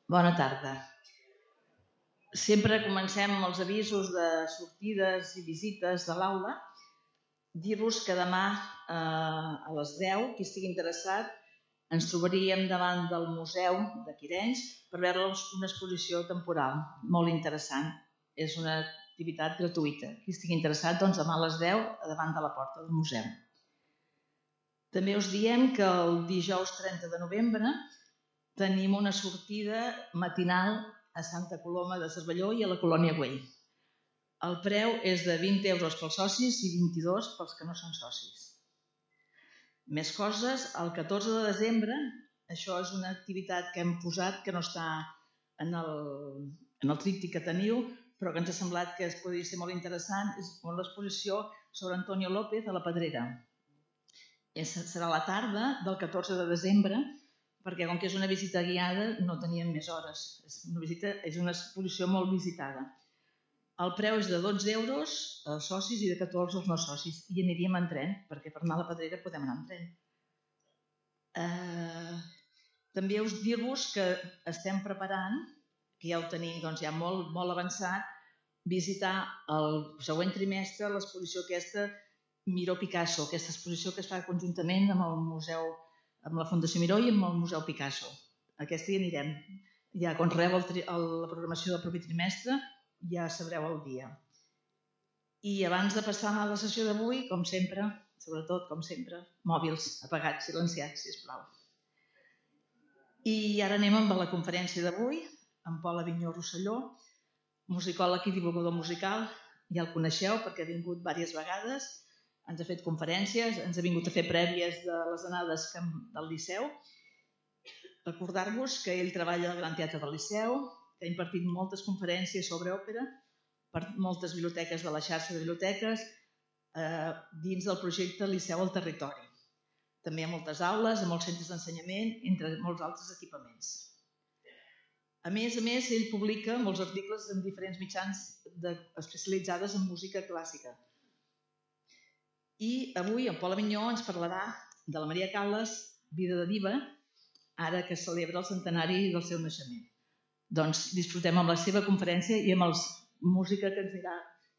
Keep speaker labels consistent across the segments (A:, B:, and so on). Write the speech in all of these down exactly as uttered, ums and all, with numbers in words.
A: Bona tarda. Sempre comencem amb els avisos de sortides i visites de l'aula. Dir-vos que demà a les deu, qui estigui interessat, ens trobaríem davant del Museu de Quirenys per veure una exposició temporal molt interessant. És una activitat gratuïta. Qui estigui interessat, doncs demà a les deu, davant de la porta del museu. També us diem que el dijous trenta de novembre tenim una sortida matinal a Santa Coloma de Cervelló i a la Colònia Güell. El preu és de vint euros pels socis i vint-i-dos pels que no són socis. Més coses, el catorze de desembre, això és una activitat que hem posat que no està en el, en el tríptic que teniu, però que ens ha semblat que es podria ser molt interessant, és l'exposició sobre Antonio López a la Pedrera. Serà a la tarda del catorze de desembre, perquè com que és una visita guiada no teníem més hores. És una, visita, és una exposició molt visitada. El preu és de dotze euros als socis i de catorze als no socis. I aniríem en tren, perquè per anar a la Pedrera podem anar en tren. Eh, també us dir-vos que estem preparant, que ja ho tenim doncs, ja molt, molt avançat, visitar el següent trimestre l'exposició aquesta Miró Picasso, aquesta exposició que es fa conjuntament amb el museu, amb la Fundació Miró i amb el Museu Picasso. Aquesta hi anirem. Ja quan rebeu la programació del propi trimestre ja sabreu el dia. I abans de passar a la sessió d'avui, com sempre, sobretot com sempre, mòbils apagats, silenciats, sisplau. I ara anem amb la conferència d'avui, amb Pol Avinyó Rosselló, musicòleg i divulgador musical. Ja el coneixeu perquè ha vingut diverses vegades. Ens ha fet conferències, ens ha vingut a fer prèvies de les anades del Liceu. Recordar-vos que ell treballa al Gran Teatre del Liceu, que ha impartit moltes conferències sobre òpera per moltes biblioteques de la xarxa de biblioteques dins del projecte Liceu al Territori. També hi ha moltes aules, a molts centres d'ensenyament, entre molts altres equipaments. A més a més, ell publica molts articles en diferents mitjans especialitzades en música clàssica. I avui en Pol Avinyó ens parlarà de la Maria Callas, Vida de diva, ara que es celebra el centenari del seu naixement. Doncs disfrutem amb la seva conferència i amb la música que ens anirà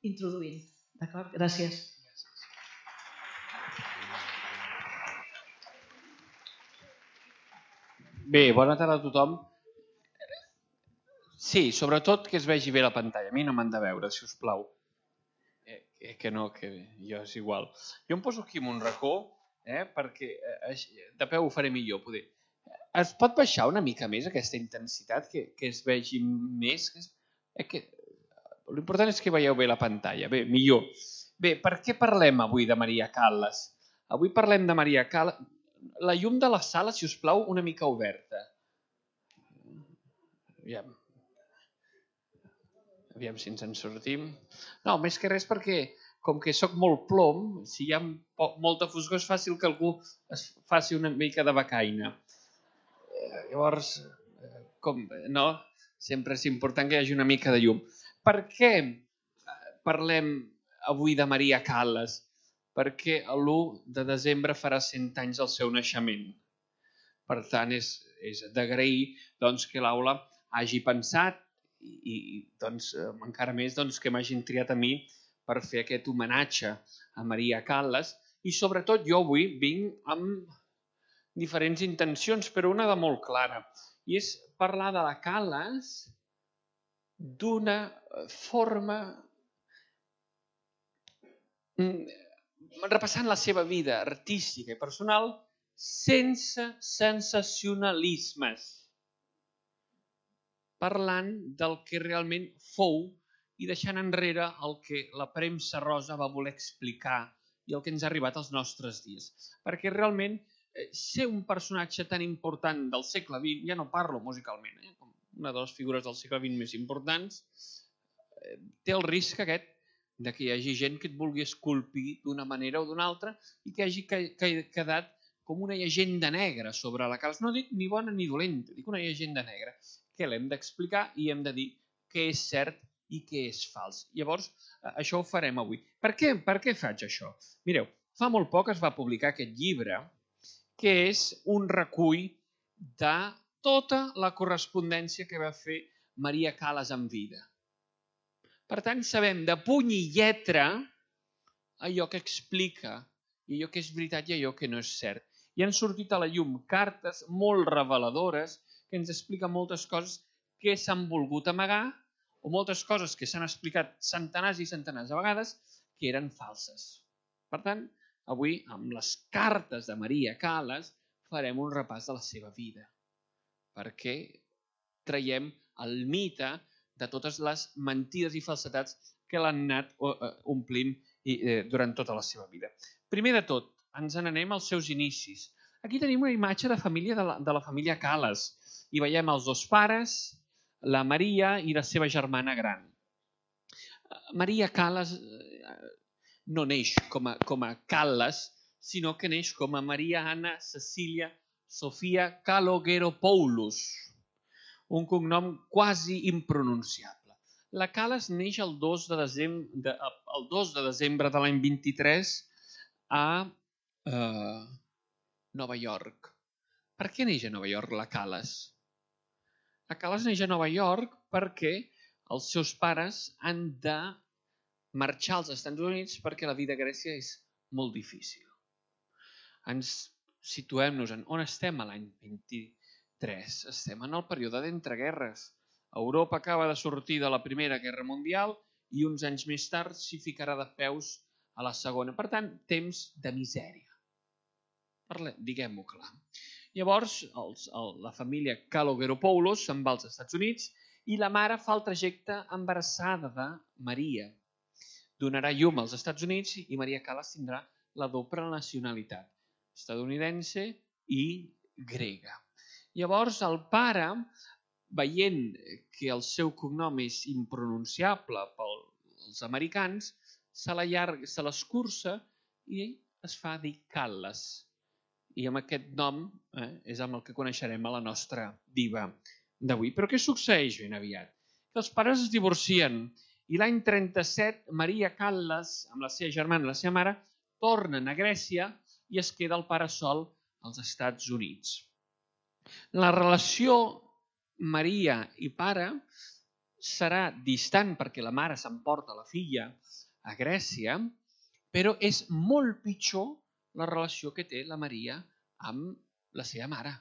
A: introduint. D'acord? Gràcies.
B: Bé, bona tarda a tothom. Sí, sobretot que es vegi bé la pantalla. A mi no m'han de veure, si us plau. Eh, que no, que jo és igual. Jo em poso aquí en un racó, eh, perquè eh, de peu ho faré millor. Poder. Es pot baixar una mica més aquesta intensitat, que, que es vegi més? Eh, que... L'important és que veieu bé la pantalla. Bé, millor. Bé, per què parlem avui de Maria Callas? Avui parlem de Maria Callas. La llum de la sala, si us plau, una mica oberta. Aviam. Aviam si ens en sortim. No, més que res perquè, com que sóc molt plom, si hi ha molta foscor és fàcil que algú es faci una mica de becaina. Llavors, com, no? Sempre és important que hi hagi una mica de llum. Per què parlem avui de Maria Callas? Perquè l'u de desembre farà cent anys del seu naixement. Per tant, és, és d'agrair doncs, que l'aula hagi pensat i, i doncs, encara més doncs, que m'hagin triat a mi per fer aquest homenatge a Maria Callas. I sobretot jo avui vinc amb diferents intencions, però una de molt clara. I és parlar de la Callas d'una forma repassant la seva vida artística i personal sense sensacionalismes. Parlant del que realment fou i deixant enrere el que la premsa rosa va voler explicar i el que ens ha arribat als nostres dies. Perquè realment ser un personatge tan important del segle vint, ja no parlo musicalment, eh, com una de les figures del segle vint més importants, té el risc aquest de que hi hagi gent que et vulgui esculpir d'una manera o d'una altra i que hagi quedat com una llegenda negra sobre la Callas. No dic ni bona ni dolenta, dic una llegenda negra que l'hem d'explicar i hem de dir què és cert i què és fals. Llavors, això ho farem avui. Per què, per què faig això? Mireu, fa molt poc es va publicar aquest llibre que és un recull de tota la correspondència que va fer Maria Callas en vida. Per tant, sabem de puny i lletra allò que explica, i allò que és veritat i allò que no és cert. I han sortit a la llum cartes molt reveladores que ens expliquen moltes coses que s'han volgut amagar o moltes coses que s'han explicat centenars i centenars de vegades que eren falses. Per tant, avui, amb les cartes de Maria Callas, farem un repàs de la seva vida, perquè traiem el mite de totes les mentides i falsetats que l'han anat omplint durant tota la seva vida. Primer de tot, ens n'anem als seus inicis. Aquí tenim una imatge de família de la, de la família Callas. Hi veiem els dos pares, la Maria i la seva germana gran. Maria Callas no neix com a, com a Callas, sinó que neix com a Maria Anna Cecília Sofia Kalogeropoulos, un cognom quasi impronunciable. La Callas neix el dos de desembre, el dos de desembre de l'any vint-i-tres a eh, Nova York. Per què neix a Nova York la Callas? La Callas neix a Nova York perquè els seus pares han de marxar als Estats Units perquè la vida a Grècia és molt difícil. Ens situem-nos en on estem a l'any vint-i-tres. Estem en el període d'entreguerres. Europa acaba de sortir de la Primera Guerra Mundial i uns anys més tard s'hi ficarà de peus a la Segona. Per tant, temps de misèria. Diguem-ho clar. Llavors, els, el, la família Kalogeropoulos se'n va als Estats Units i la mare fa el trajecte embarassada de Maria. Donarà llum als Estats Units i Maria Callas tindrà la doble nacionalitat, estadounidense i grega. Llavors, el pare, veient que el seu cognom és impronunciable pels americans, se l'escurça i es fa dir Callas. I amb aquest nom eh, és amb el que coneixerem a la nostra diva d'avui. Però què succeeix ben aviat? Que els pares es divorcien i l'any trenta-set Maria Callas, amb la seva germana i la seva mare, tornen a Grècia i es queda el pare sol als Estats Units. La relació Maria i pare serà distant perquè la mare s'emporta la filla a Grècia, però és molt pitjor la relació que té la Maria amb la seva mare,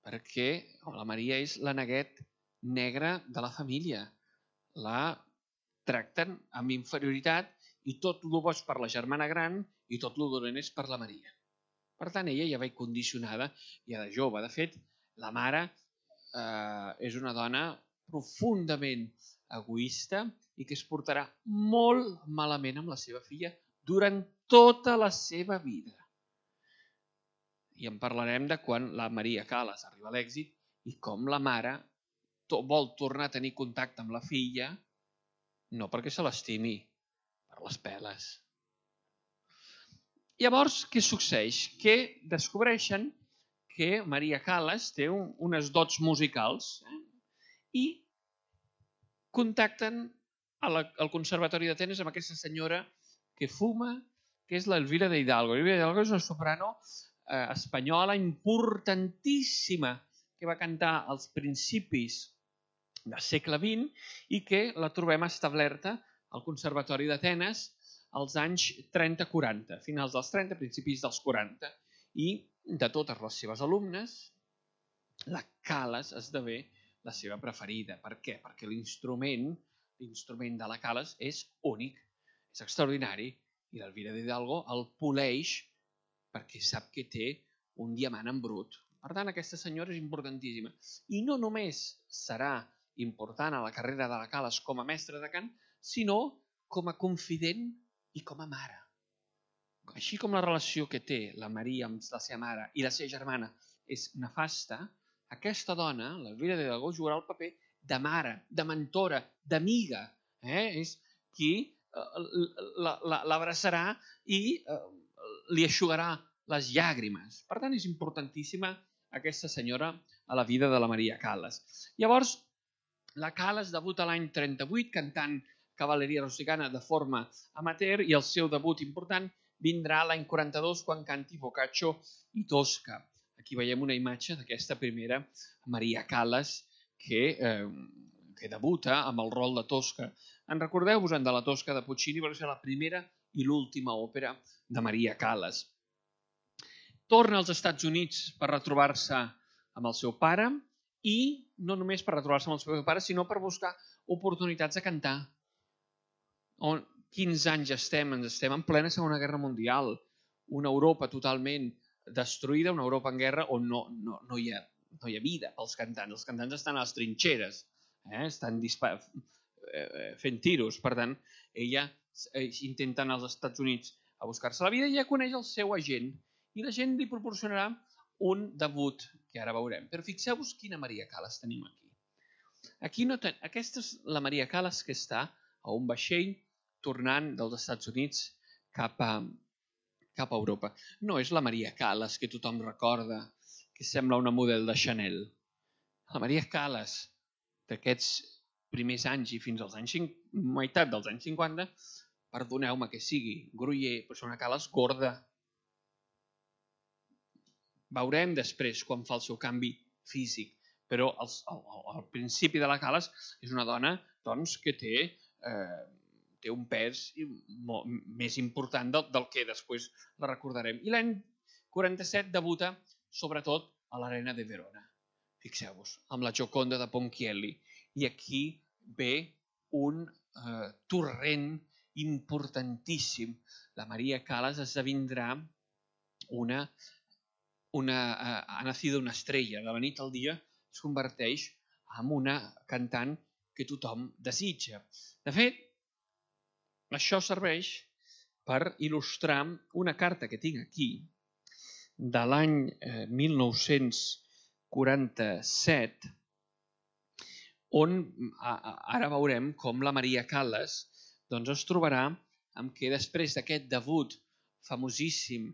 B: perquè la Maria és la neguet negra de la família. La tracten amb inferioritat i tot el bo és per la germana gran i tot el dolent és per la Maria. Per tant, ella ja va condicionada ja de jove. De fet, la mare eh, és una dona profundament egoista i que es portarà molt malament amb la seva filla durant tota la seva vida. I en parlarem de quan la Maria Callas arriba a l'èxit i com la mare vol tornar a tenir contacte amb la filla, no perquè se l'estimi, per les peles. Llavors, què succeeix? Que descobreixen que Maria Callas té un, unes dots musicals eh? I contacten a la, al Conservatori d'Atenes amb aquesta senyora que fuma, que és l'Elvira de Hidalgo. Elvira de Hidalgo és una soprano eh, espanyola importantíssima que va cantar als principis del segle vint i que la trobem establerta al Conservatori d'Atenes als anys trenta quaranta, finals dels trenta, principis dels quaranta. I de totes les seves alumnes, la Callas esdevé la seva preferida. Per què? Perquè l'instrument, l'instrument de la Callas és únic, és extraordinari, i l'Elvira de Hidalgo el poleix perquè sap que té un diamant en brut. Per tant, aquesta senyora és importantíssima. I no només serà important a la carrera de la Callas com a mestra de cant, sinó com a confident i com a mare. Així com la relació que té la Maria amb la seva mare i la seva germana és nefasta, aquesta dona, l'Elvira de Hidalgo, jugarà el paper de mare, de mentora, d'amiga. Eh? És qui l'abraçarà i li eixugarà les llàgrimes. Per tant, és importantíssima aquesta senyora a la vida de la Maria Callas. Llavors, la Callas debuta l'any trenta-vuit cantant cavalleria rusticana de forma amateur i el seu debut important vindrà l'any quaranta-dos quan canti Boccaccio i Tosca. Aquí veiem una imatge d'aquesta primera Maria Callas que, eh, que debuta amb el rol de Tosca. En recordeu-vos de la Tosca de Puccini? Va ser la primera i l'última òpera de Maria Callas. Torna als Estats Units per retrobar-se amb el seu pare i no només per retrobar-se amb el seu pare, sinó per buscar oportunitats de cantar. On, quinze anys estem? Ens estem en plena Segona Guerra Mundial, una Europa totalment destruïda, una Europa en guerra on no, no, no, hi, ha, no hi ha vida pels cantants. Els cantants estan a les trinxeres, eh? estan dispar... fent tiros. Per tant, ella intenta anar als Estats Units a buscar-se la vida i ja coneix el seu agent i l'agent li proporcionarà un debut, que ara veurem. Però fixeu-vos quina Maria Callas tenim aquí. Aquí no ten... Aquesta és la Maria Callas que està a un vaixell tornant dels Estats Units cap a, cap a Europa. No és la Maria Callas que tothom recorda, que sembla una model de Chanel. La Maria Callas d'aquests primers anys i fins als anys meitat dels anys cinquanta, perdoneu-me que sigui groller, però és una Callas gorda. Veurem després quan fa el seu canvi físic, però al, al, al principi de la Callas és una dona doncs, que té, eh, té un pes molt, més important del, del que després la recordarem. I l'any quaranta-set debuta sobretot a l'Arena de Verona. Fixeu-vos, amb la Gioconda de Ponchielli. I aquí ve un eh, torrent importantíssim. La Maria Callas esdevindrà una, una, eh, ha nacido una estrella. De la nit al dia es converteix en una cantant que tothom desitja. De fet, això serveix per il·lustrar una carta que tinc aquí de l'any eh, mil nou-cents quaranta-set, on ara veurem com la Maria Callas doncs, es trobarà amb que després d'aquest debut famosíssim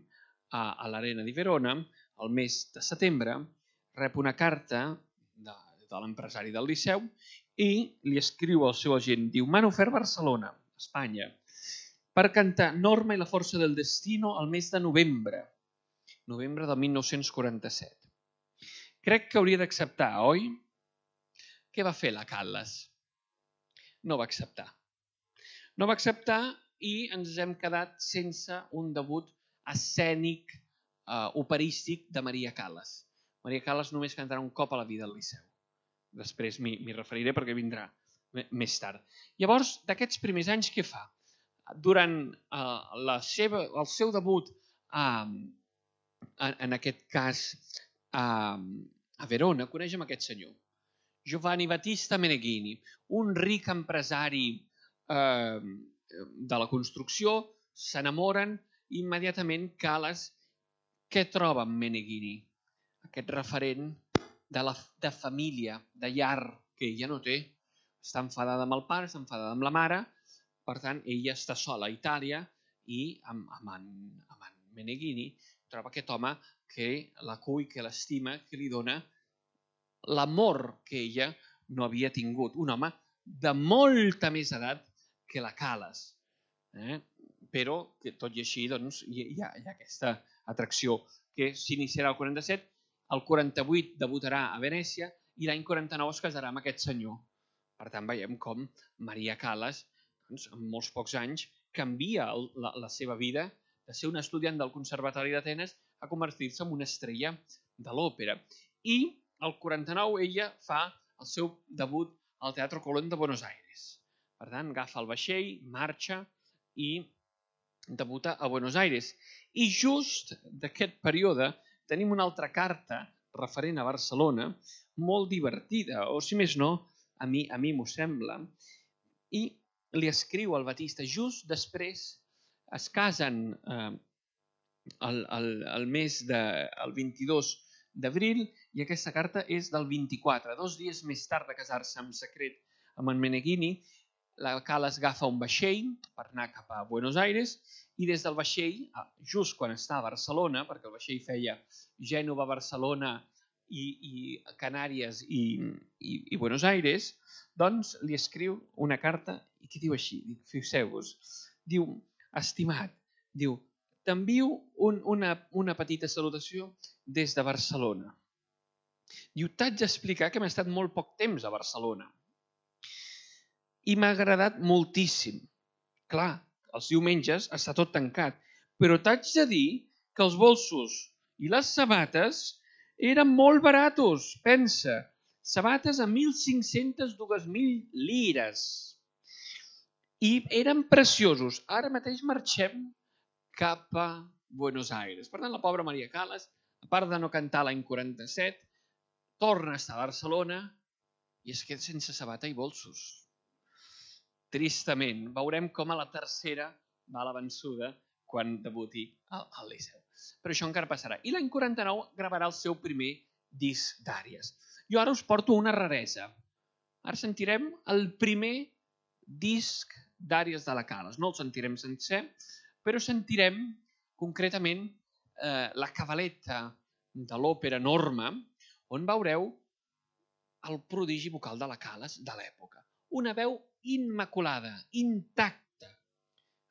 B: a, a l'Arena di Verona, el mes de setembre, rep una carta de, de l'empresari del Liceu i li escriu al seu agent, diu, m'han ofert Barcelona, Espanya, per cantar Norma i la força del destino al mes de novembre, novembre de mil nou-cents quaranta-set. Crec que hauria d'acceptar, oi? Què va fer la Callas? No va acceptar. No va acceptar i ens hem quedat sense un debut escènic, eh, operístic de Maria Callas. Maria Callas només cantarà un cop a la vida al Liceu. Després m'hi referiré perquè vindrà més tard. Llavors, d'aquests primers anys, què fa? Durant eh, la seva, el seu debut, eh, en, en aquest cas, a, a Verona, coneix amb aquest senyor, Giovanni Battista Meneghini, un ric empresari eh, de la construcció, s'enamoren i immediatament Callas, què troba en Meneghini? Aquest referent de, la, de família, de llar, que ella no té. Està enfadada amb el pare, està enfadada amb la mare, per tant, ella està sola a Itàlia i amb, amb, en, amb en Meneghini troba aquest home que la cull, que l'estima, que li dona l'amor que ella no havia tingut. Un home de molta més edat que la Callas. Eh? Però, que tot i així, doncs, hi, ha, hi ha aquesta atracció que s'iniciarà al quaranta-set, el quaranta-vuit debutarà a Venècia i l'any quaranta-nou es casarà amb aquest senyor. Per tant, veiem com Maria Callas, doncs, en molts pocs anys, canvia la, la seva vida de ser una estudiant del Conservatori d'Atenes a convertir-se en una estrella de l'òpera. I al quaranta-nou ella fa el seu debut al Teatro Colón de Buenos Aires. Per tant, agafa el vaixell, marxa i debuta a Buenos Aires. I just d'aquest període tenim una altra carta referent a Barcelona, molt divertida, o si més no, a mi a mi m'ho sembla, i li escriu al Batista just després, es casen eh, el, el, el mes de, el vint-i-dos d'abril i aquesta carta és del vint-i-quatre. Dos dies més tard de casar-se en secret amb en Meneghini, la Callas agafa un vaixell per anar cap a Buenos Aires i des del vaixell, just quan està a Barcelona, perquè el vaixell feia Gènova, Barcelona i, i Canàries i, i, i Buenos Aires, doncs li escriu una carta i que diu així, fixeu-vos, diu, estimat, diu, t'envio un, una, una petita salutació des de Barcelona. Diu, t'haig d'explicar que m'he estat molt poc temps a Barcelona. I m'ha agradat moltíssim. Clar, els diumenges està tot tancat, però t'haig de dir que els bolsos i les sabates eren molt baratos. Pensa, sabates a mil cinc-centes, dues mil lires. I eren preciosos. Ara mateix marxem cap a Buenos Aires. Per tant, la pobra Maria Calas, a part de no cantar l'any quaranta-set, torna a estar a Barcelona i es queda sense sabata i bolsos. Tristament, veurem com a la tercera va a la vençuda quan debuti al Liceu. Però això encara passarà. I l'any quaranta-nou gravarà el seu primer disc d'àries. Jo ara us porto una raresa. Ara sentirem el primer disc d'àries de la Calas. No el sentirem sencer, però sentirem concretament eh, la cavaletta de l'òpera Norma, on veureu el prodigi vocal de la Calas de l'època. Una veu immaculada, intacta.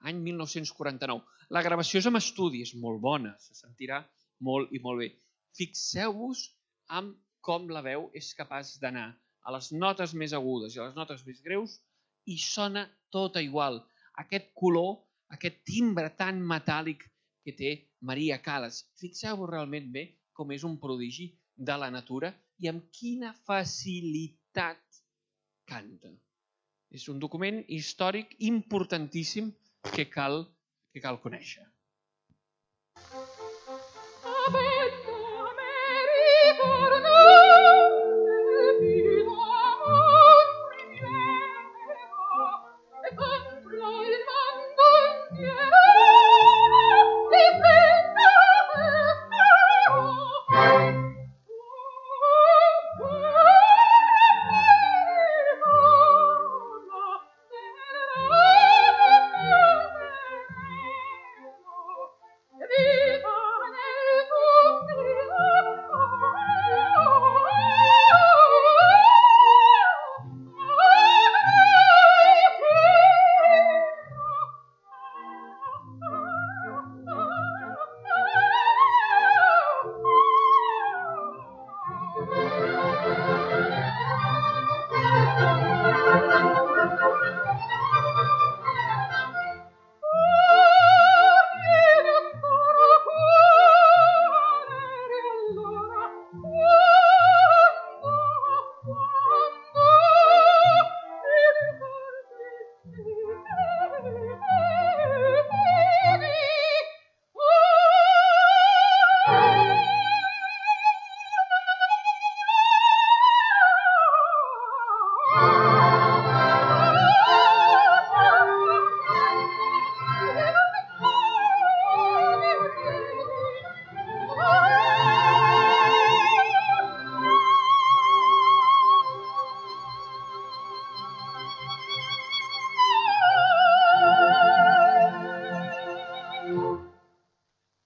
B: Any mil nou-cents quaranta-nou. La gravació és amb estudi, és molt bona, se sentirà molt i molt bé. Fixeu-vos en com la veu és capaç d'anar a les notes més agudes i a les notes més greus i sona tota igual. Aquest color, aquest timbre tan metàl·lic que té Maria Calas. Fixeu-vos realment bé com és un prodigi de la natura i amb quina facilitat canta. És un document històric importantíssim que cal, que cal conèixer.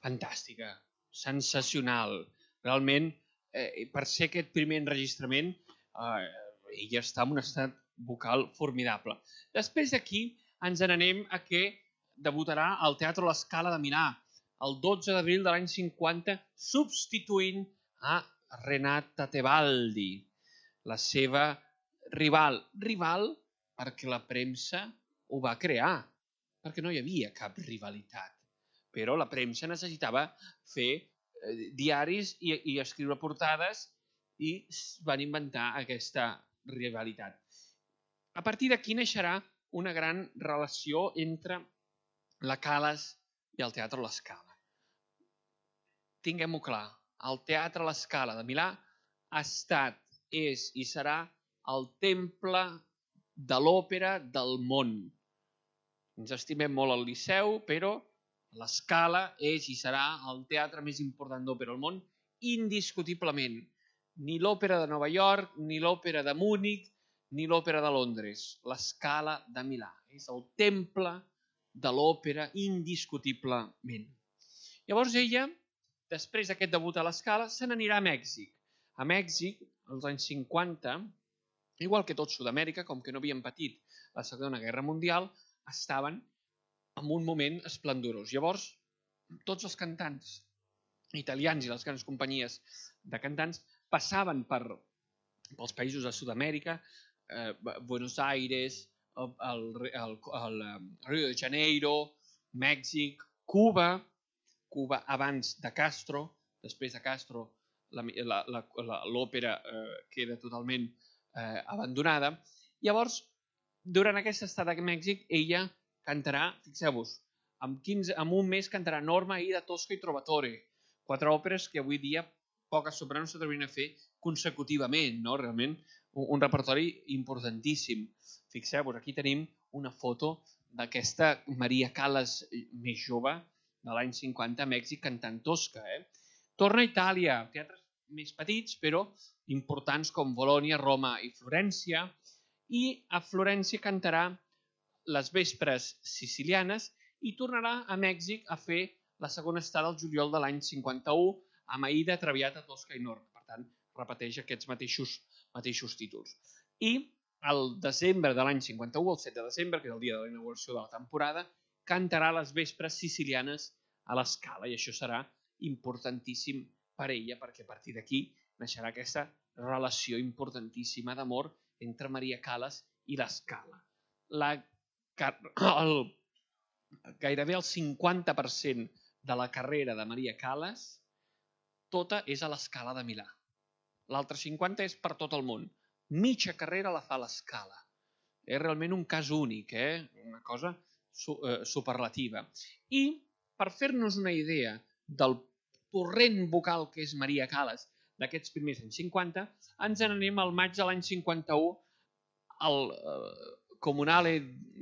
B: Fantàstica, sensacional. Realment, eh, per ser aquest primer enregistrament, eh, ella està en un estat vocal formidable. Després d'aquí ens n'anem a que debutarà al Teatre La Scala de Milà el dotze d'abril de l'any cinquanta, substituint a Renata Tebaldi, la seva rival. Rival perquè la premsa ho va crear, perquè no hi havia cap rivalitat. Però la premsa necessitava fer eh, diaris i, i escriure portades i van inventar aquesta rivalitat. A partir d'aquí naixerà una gran relació entre la Calas i el Teatre La Scala. Tinguem-ho clar, el Teatre La Scala de Milà ha estat, és i serà el temple de l'òpera del món. Ens estimem molt al Liceu, però La Scala és i serà el teatre més important d'òpera al món, indiscutiblement. Ni l'òpera de Nova York, ni l'òpera de Múnich, ni l'òpera de Londres. La Scala de Milà. És el temple de l'òpera indiscutiblement. Llavors ella, després d'aquest debut a La Scala, se n'anirà a Mèxic. A Mèxic, als anys cinquanta, igual que tot Sud-amèrica, com que no havien patit la Segona Guerra Mundial, estaven en un moment esplendorós. Llavors tots els cantants italians i les grans companyies de cantants passaven per, pels països de Sud-amèrica, eh, Buenos Aires, el, el, el, el Rio de Janeiro, Mèxic, Cuba, Cuba abans de Castro, després de Castro l'òpera eh, queda totalment eh, abandonada. Llavors, durant aquesta estada a Mèxic, ella cantarà, fixeu-vos, en, en un mes cantarà Norma, Aida, Tosca i Trovatore, quatre òperes que avui dia poques sopranos s'atrevien a fer consecutivament, no? Realment un, un repertori importantíssim. Fixeu-vos, aquí tenim una foto d'aquesta Maria Callas més jove de l'any cinquanta a Mèxic cantant Tosca. Eh? Torna a Itàlia, teatres més petits però importants com Bolònia, Roma i Florència, i a Florència cantarà les vespres sicilianes i tornarà a Mèxic a fer la segona estada al juliol de l'any cinquanta-u amb Aida, Traviata, Tosca i Norma. Per tant, repeteix aquests mateixos, mateixos títols. I el desembre de l'any cinquanta-u, el set de desembre, que és el dia de la inauguració de la temporada, cantarà les vespres sicilianes a l'Escala, i això serà importantíssim per ella, perquè a partir d'aquí naixerà aquesta relació importantíssima d'amor entre Maria Callas i l'Escala. La, el, gairebé el cinquanta per cent de la carrera de Maria Callas tota és a l'Escala de Milà. L'altre cinquanta és per tot el món. Mitja carrera la fa a l'Escala. És realment un cas únic, eh? Una cosa superlativa. I per fer-nos una idea del torrent vocal que és Maria Callas d'aquests primers anys cinquanta, ens n'anem al maig de l'any cinquanta-u al Comunale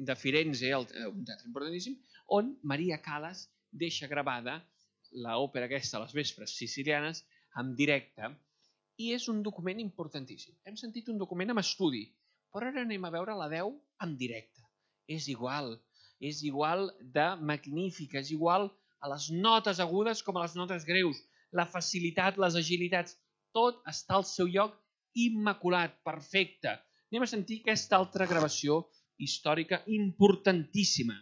B: de Firenze, un teatre importantíssim, on Maria Callas deixa gravada l'òpera aquesta, Les vespres sicilianes, en directe, i és un document importantíssim. Hem sentit un document amb estudi, però ara anem a veure la veu en directe. És igual, és igual de magnífica, és igual a les notes agudes com a les notes greus, la facilitat, les agilitats, tot està al seu lloc immaculat, perfecte. Anem a sentir aquesta altra gravació històrica importantíssima.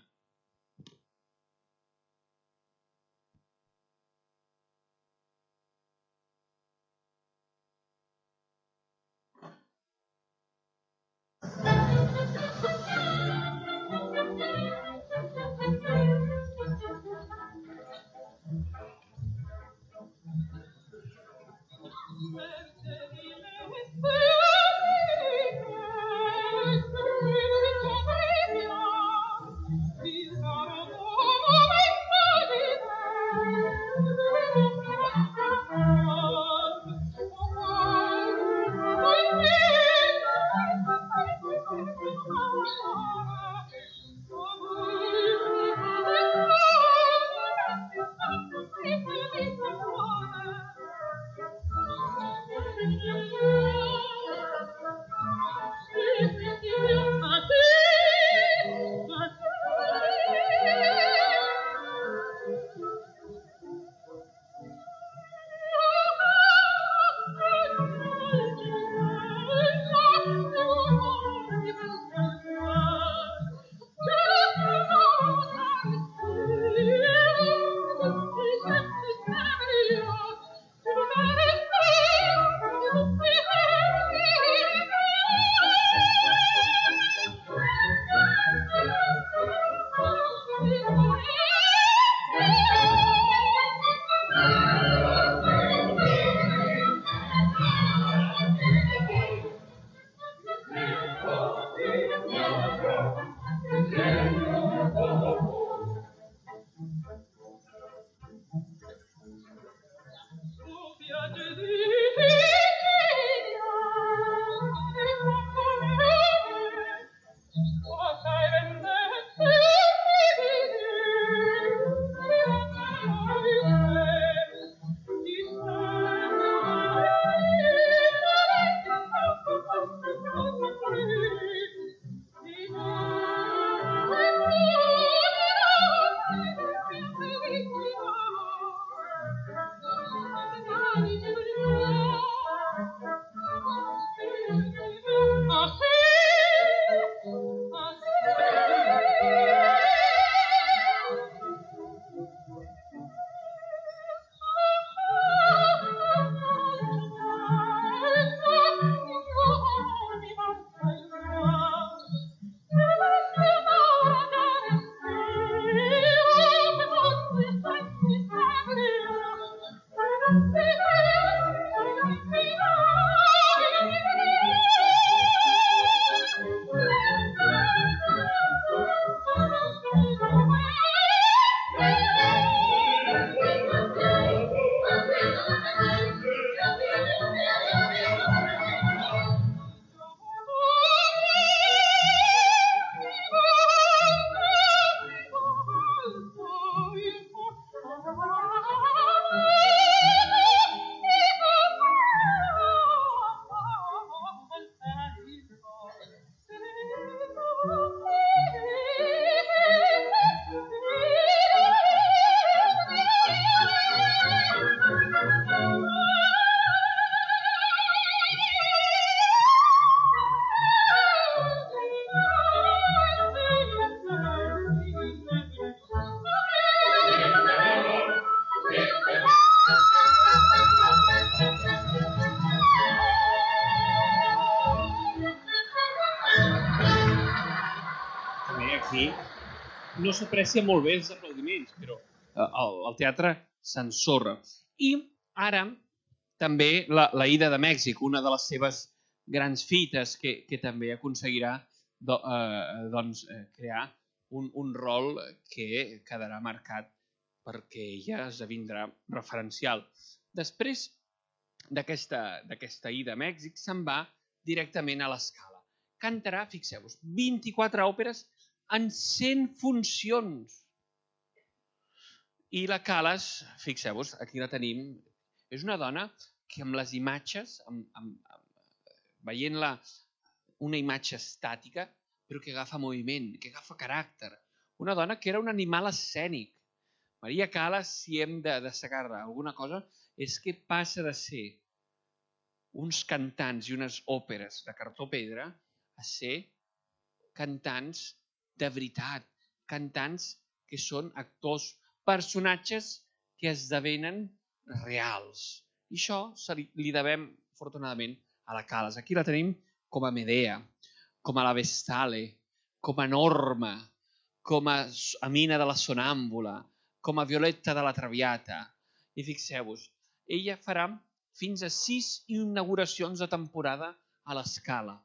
B: aquí no s'aprecia molt bé els aplaudiments, però el, el teatre s'ensorra. I ara també la, la ida de Mèxic, una de les seves grans fites que, que també aconseguirà do, eh, doncs, eh, crear un, un rol que quedarà marcat perquè ella esdevindrà referencial. Després d'aquesta ida a Mèxic se'n va directament a l'Escala. Cantarà, fixeu-vos, vint-i-quatre òperes en cent funcions. I la Calas, fixeu-vos, aquí la tenim, és una dona que amb les imatges, amb, amb, amb, veient-la una imatge estàtica, però que agafa moviment, que agafa caràcter. Una dona que era un animal escènic. Maria Calas, si hem de destacar-la alguna cosa, és que passa de ser uns cantants i unes òperes de cartó pedra a ser cantants de veritat, cantants que són actors, personatges que esdevenen reals. I això li, li devem, afortunadament, a la Calas. Aquí la tenim com a Medea, com a la Vestale, com a Norma, com a Amina de la Sonàmbula, com a Violetta de la Traviata. I fixeu-vos, ella farà fins a sis inauguracions de temporada a l'Escala.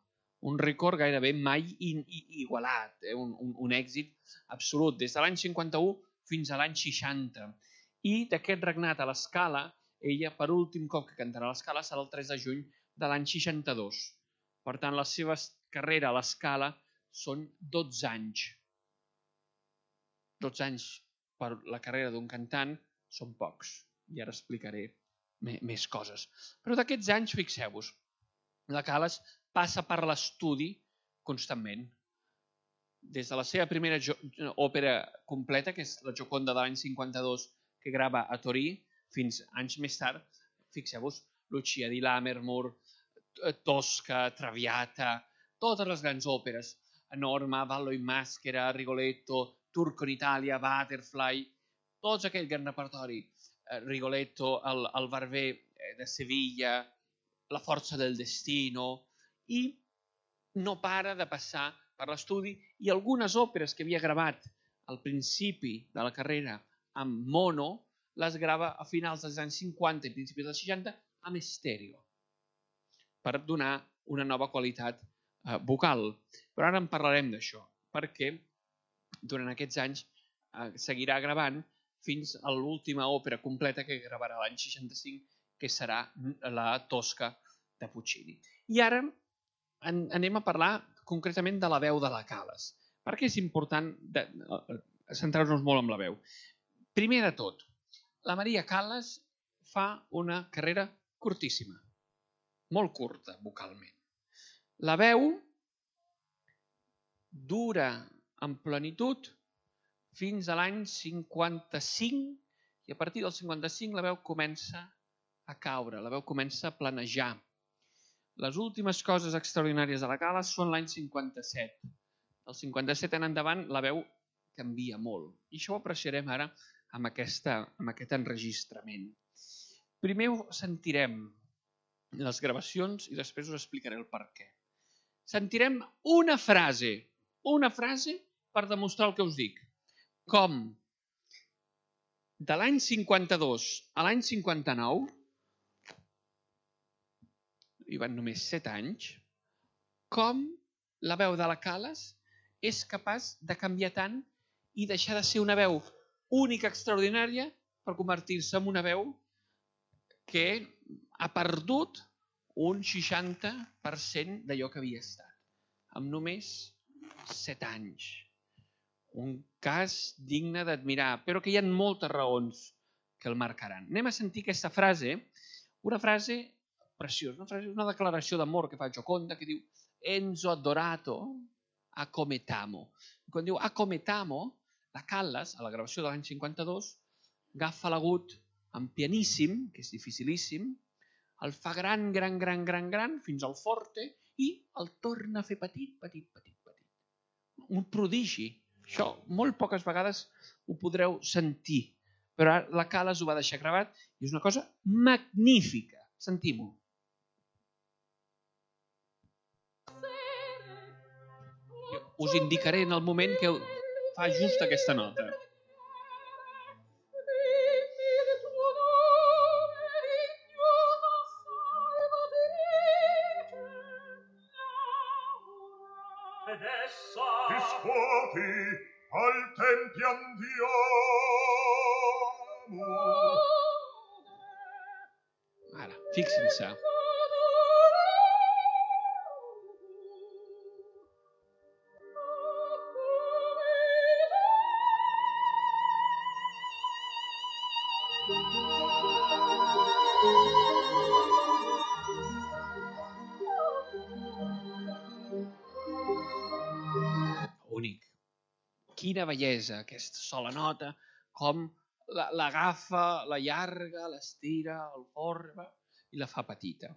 B: Un rècord gairebé mai igualat, eh? un, un, un èxit absolut, des de l'any cinquanta-u fins a l'any seixanta. I d'aquest regnat a l'Escala, ella per últim cop que cantarà a l'Escala serà el tres de juny de l'any seixanta-dos. Per tant, la seva carrera a l'Escala són dotze anys. dotze anys per la carrera d'un cantant són pocs. I ara explicaré més coses. Però d'aquests anys, fixeu-vos, la Calas passa per l'estudi constantment. Des de la seva primera òpera completa, que és la Gioconda de l'any cinquanta-dos, que grava a Torí, fins anys més tard, fixeu-vos, Lucia di Lammermoor, Tosca, Traviata, totes les grans òperes, Norma, Ballo in Maschera, Rigoletto, Turco in Italia, Butterfly, tots aquell gran repertori, Rigoletto, el, el Barber de Sevilla, La forza del destino, i no para de passar per l'estudi i algunes òperes que havia gravat al principi de la carrera amb mono, les grava a finals dels anys cinquanta i principis dels seixanta amb estèreo, per donar una nova qualitat eh, vocal. Però ara en parlarem d'això, perquè durant aquests anys eh, seguirà gravant fins a l'última òpera completa que gravarà l'any seixanta-cinc, que serà la Tosca de Puccini. I ara en, anem a parlar concretament de la veu de la Calas. Per què és important de, de, centrar-nos molt en la veu? Primer de tot, la Maria Calas fa una carrera curtíssima, molt curta vocalment. La veu dura en plenitud fins a l'any cinquanta-cinc i a partir del cinquanta-cinc la veu comença a caure, la veu comença a planejar. Les últimes coses extraordinàries de la Calas són l'any cinquanta-set. Del cinquanta-set en endavant la veu canvia molt. I això ho apreciarem ara amb, aquesta, amb aquest enregistrament. Primer sentirem les gravacions i després us explicaré el per què. Sentirem una frase, una frase per demostrar el que us dic. Com de l'any cinquanta-dos a l'any cinquanta-nou, hi van només set anys, com la veu de la Calas és capaç de canviar tant i deixar de ser una veu única, extraordinària, per convertir-se en una veu que ha perdut un seixanta per cent d'allò que havia estat, amb només set anys. Un cas digne d'admirar, però que hi ha moltes raons que el marcaran. Anem a sentir aquesta frase, una frase preciosa, una, frase, una declaració d'amor que fa Gioconda, que diu Enzo adorato, accometamo. Quan diu accometamo, la Calas, a la gravació de l'any cinquanta-dos, agafa l'agut en pianíssim, que és dificilíssim, el fa gran, gran, gran, gran, gran, fins al forte, i el torna a fer petit, petit, petit, petit. Un prodigi. Això molt poques vegades ho podreu sentir, però la Calas ho va deixar gravat i és una cosa magnífica. Sentim-ho. Us indicaré en el moment que fa just aquesta nota.
C: Riscuoti al tempio andiamo.
B: Ara, fixin-se. Únic. Quina bellesa, aquesta sola nota, com l'agafa, la llarga, l'estira, el forma i la fa petita.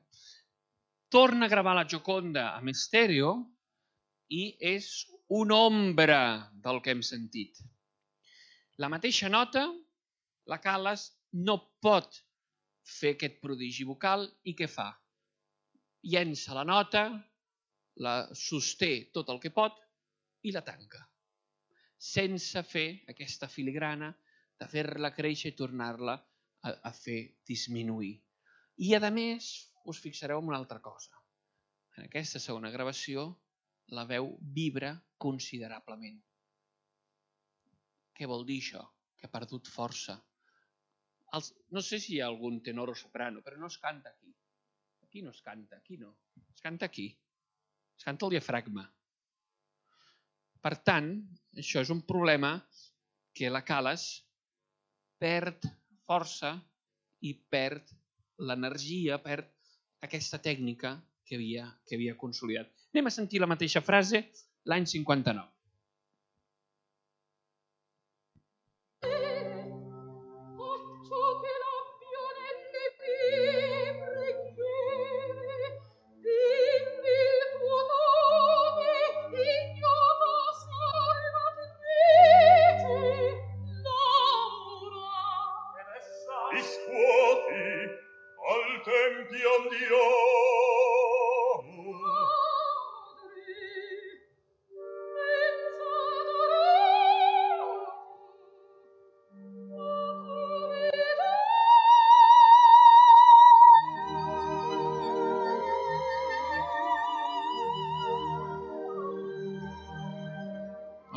B: Torna a gravar la Gioconda amb estèreo i és una ombra del que hem sentit. La mateixa nota, la Calas no pot fer aquest prodigi vocal i què fa? Llença la nota, la sosté tot el que pot i la tanca, sense fer aquesta filigrana de fer-la créixer i tornar-la a, a fer disminuir. I a més, us fixareu en una altra cosa. En aquesta segona gravació, la veu vibra considerablement. Què vol dir això? Que ha perdut força. Els, no sé si hi ha algun tenor o soprano, però no es canta aquí. Aquí no es canta, aquí no. Es canta aquí. Es canta el diafragma. Per tant, això és un problema que la Calas perd força i perd l'energia, perd aquesta tècnica que havia, que havia consolidat. Anem a sentir la mateixa frase l'any cinquanta-nou.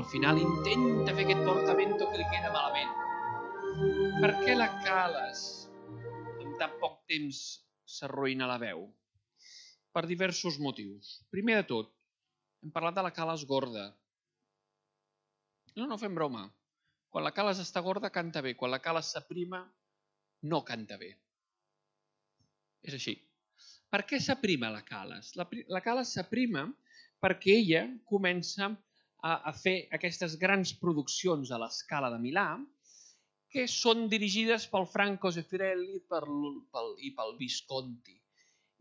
B: Al final intenta fer aquest portamento que li queda malament. Per què la Calas en tan poc temps s'arruïna la veu? Per diversos motius. Primer de tot, hem parlat de la Calas gorda. No, no fem broma. Quan la Calas està gorda, canta bé. Quan la Calas s'aprima, no canta bé. És així. Per què s'aprima la Calas? La, la Calas s'aprima perquè ella comença a, a fer aquestes grans produccions a l'Escala de Milà que són dirigides pel Franco Zeffirelli per, pel, i pel Visconti.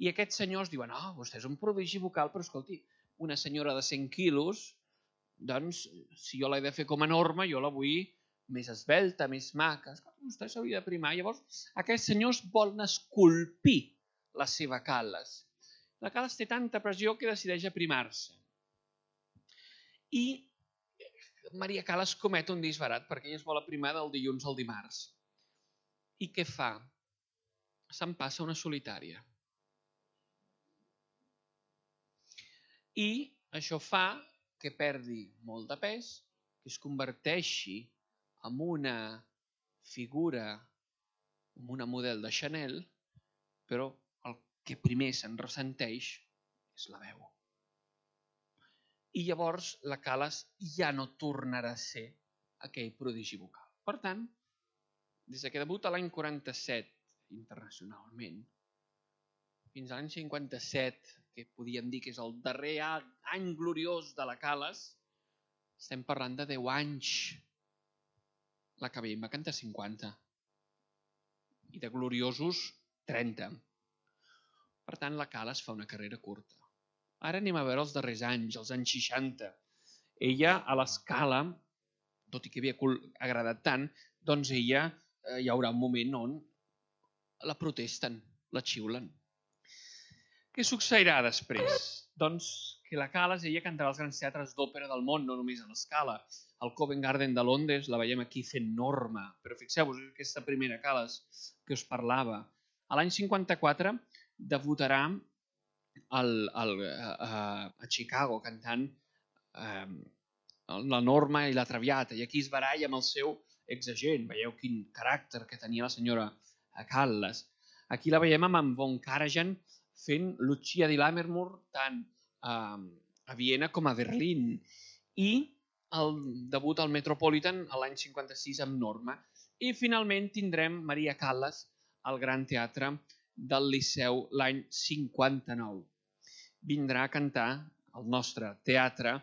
B: I aquests senyors diuen, ah, oh, vostè és un prodigi vocal, però escolti, una senyora de cent quilos, doncs, si jo l'he de fer com a norma, jo la vull més esvelta, més maca. Vostè s'hauria de primar. Llavors, aquests senyors volen esculpir la seva Calas. La Calas té tanta pressió que decideix aprimar-se. I Maria Calas comet un disbarat perquè ella es vol aprimar del dilluns al dimarts. I què fa? Se'n passa una solitària. I això fa que perdi molt de pes, que es converteixi en una figura, en una model de Chanel, però el que primer se'n ressenteix és la veu. I llavors la Calas ja no tornarà a ser aquell prodigi vocal. Per tant, des que debuta l'any quaranta-set internacionalment, fins a l'any cinquanta-set, que podíem dir que és el darrer any gloriós de la Calas, estem parlant de deu anys. La Cabell va cantar cinquanta. I de gloriosos, trenta. Per tant, la Calas fa una carrera curta. Ara anem a veure els darrers anys, els anys seixanta. Ella, a l'Escala, tot i que havia agradat tant, doncs ella eh, hi haurà un moment on la protesten, la xiulen. Què succeirà després? Doncs que la Calas, ella cantarà als grans teatres d'òpera del món, no només a l'Escala, al Covent Garden de Londres, la veiem aquí fent Norma, però fixeu-vos, aquesta primera Callas que us parlava. A l'any cinquanta-quatre debutarà al, al, a, a Chicago cantant eh, la Norma i la Traviata, i aquí es baralla amb el seu exagent. Veieu quin caràcter que tenia la senyora Callas. Aquí la veiem amb en Von Karajan fent Lucia di Lammermoor tant a, a Viena com a Berlín. I el debut al Metropolitan l'any cinquanta-sis amb Norma. I finalment tindrem Maria Callas al Gran Teatre del Liceu l'any cinquanta-nou. Vindrà a cantar al nostre teatre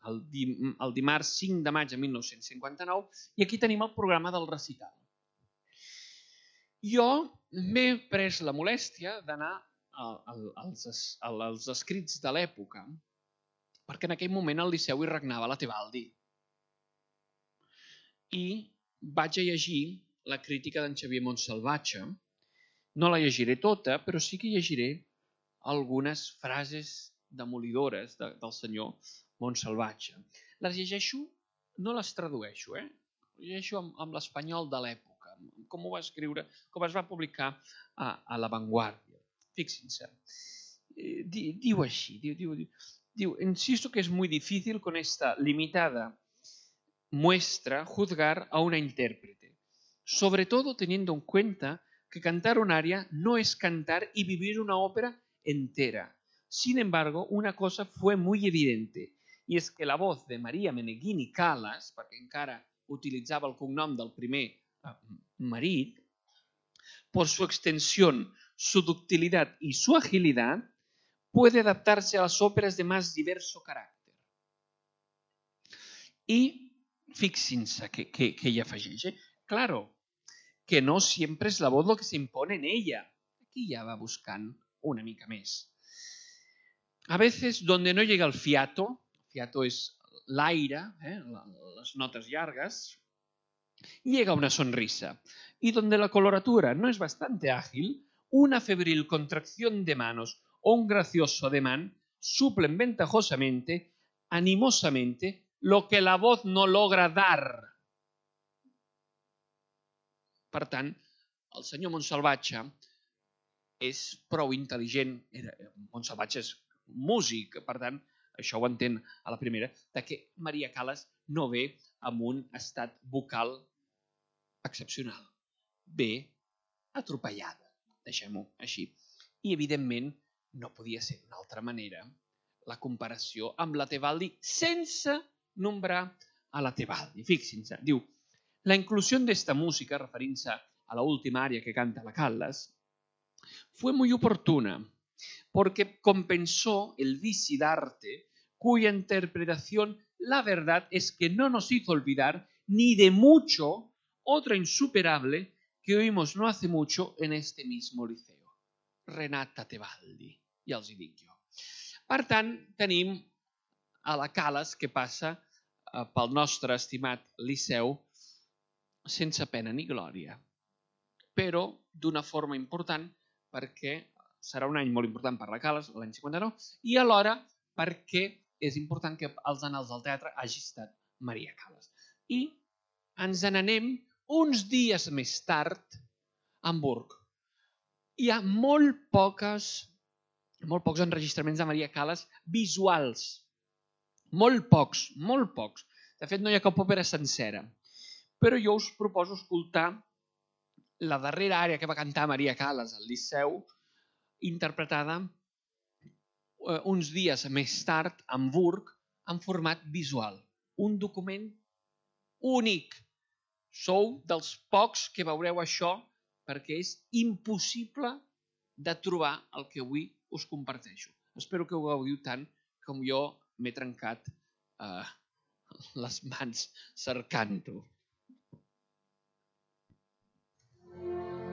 B: el, dim el dimarts cinc de maig de mil nou-cents cinquanta-nou i aquí tenim el programa del recital. Jo m'he pres la molèstia d'anar als, als escrits de l'època perquè en aquell moment al Liceu hi regnava la Tebaldi. I vaig a llegir la crítica d'en Xavier Montsalvatge. No la llegiré tota, però sí que llegiré algunes frases demolidores de, del senyor Montsalvatge. Les llegeixo, no les tradueixo, eh? Les llegeixo amb, amb l'espanyol de l'època, com ho va escriure, com es va publicar a, a La Vanguardia. Fíjense, eh, diu així, diu, diu, diu, diu, insisto que es muy difícil con esta limitada muestra juzgar a una intérprete, sobre todo teniendo en cuenta que cantar un aria no es cantar y vivir una ópera entera. Sin embargo, una cosa fue muy evidente, y es que la voz de María Meneghini Callas, perquè encara utilitzava el cognom del primer eh, marit, por su extensión, su ductilidad y su agilidad, puede adaptarse a las óperas de más diverso carácter. Y fíjense que, que, que ella afegeix, eh? Claro, que no siempre es la voz lo que se impone en ella. Aquí ya va buscant una mica més. A veces, donde no llega el fiato, fiato es l'aire, eh, las notas largas, llega una sonrisa. Y donde la coloratura no es bastante ágil, una febril contracción de manos o un gracioso ademán suplen ventajosamente, animosamente, lo que la voz no logra dar. Per tant, el senyor Montsalvatge és prou intel·ligent, Montsalvatge és músic, per tant, això ho entén a la primera, de que Maria Callas no ve amb un estat vocal excepcional. Ve atropellada, deixem-ho així. I, evidentment, no podia ser d'una altra manera la comparació amb la Tebaldi sense nombrar a la Tebaldi. Fíjense, diu, la inclusión de esta música, referint-se a la última aria que canta la Callas, fue muy oportuna, porque compensó el vici d'arte cuya interpretación, la verdad es que no nos hizo olvidar ni de mucho otra insuperable que oímos no hace mucho en este mismo liceo. Renata Tebaldi, ja els hi dic jo. Per tant, tenim a la Callas que passa pel nostre estimat liceu sense pena ni glòria, però d'una forma important perquè serà un any molt important per la Callas, l'any cinquanta-nou, i alhora perquè és important que als annals del teatre hagi estat Maria Callas. I ens n'anem uns dies més tard a Hamburg. Hi ha molt poques, molt pocs enregistraments de Maria Callas visuals. Molt pocs, molt pocs. De fet, no hi ha cap òpera sencera. Però jo us proposo escoltar la darrera àrea que va cantar Maria Callas al Liceu, interpretada uns dies més tard a Hamburg en format visual. Un document únic. Sou dels pocs que veureu això perquè és impossible de trobar el que avui us comparteixo. Espero que ho gaudiu tant com jo m'he trencat eh, les mans cercant-ho.
D: Spirito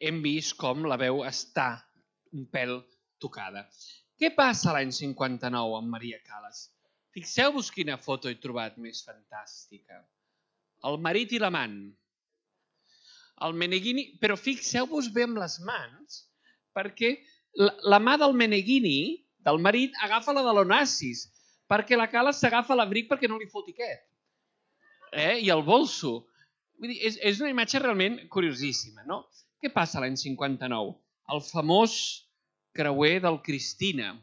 B: hem vist com la veu està un pèl tocada. Què passa l'any cinquanta-nou amb Maria Callas? Fixeu-vos quina foto he trobat més fantàstica. El marit i l'amant. El Meneghini, però fixeu-vos bé amb les mans, perquè la, la mà del Meneghini, del marit, agafa la de l'Onassis, perquè la Callas s'agafa l'abric perquè no li foti aquest. Eh? I el bolso. Vull dir, és, és una imatge realment curiosíssima, no? Què passa l'any cinquanta-nou? El famós creuer del Cristina,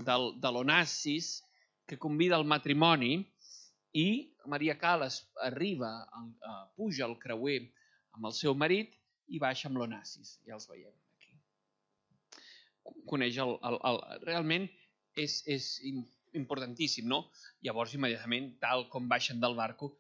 B: del, de l'Onassis, que convida al matrimoni, i Maria Callas arriba, uh, puja al creuer amb el seu marit i baixa amb l'Onassis. Ja els veiem aquí. Coneix el... el, el realment és, és importantíssim, no? Llavors, immediatament, tal com baixen del barco,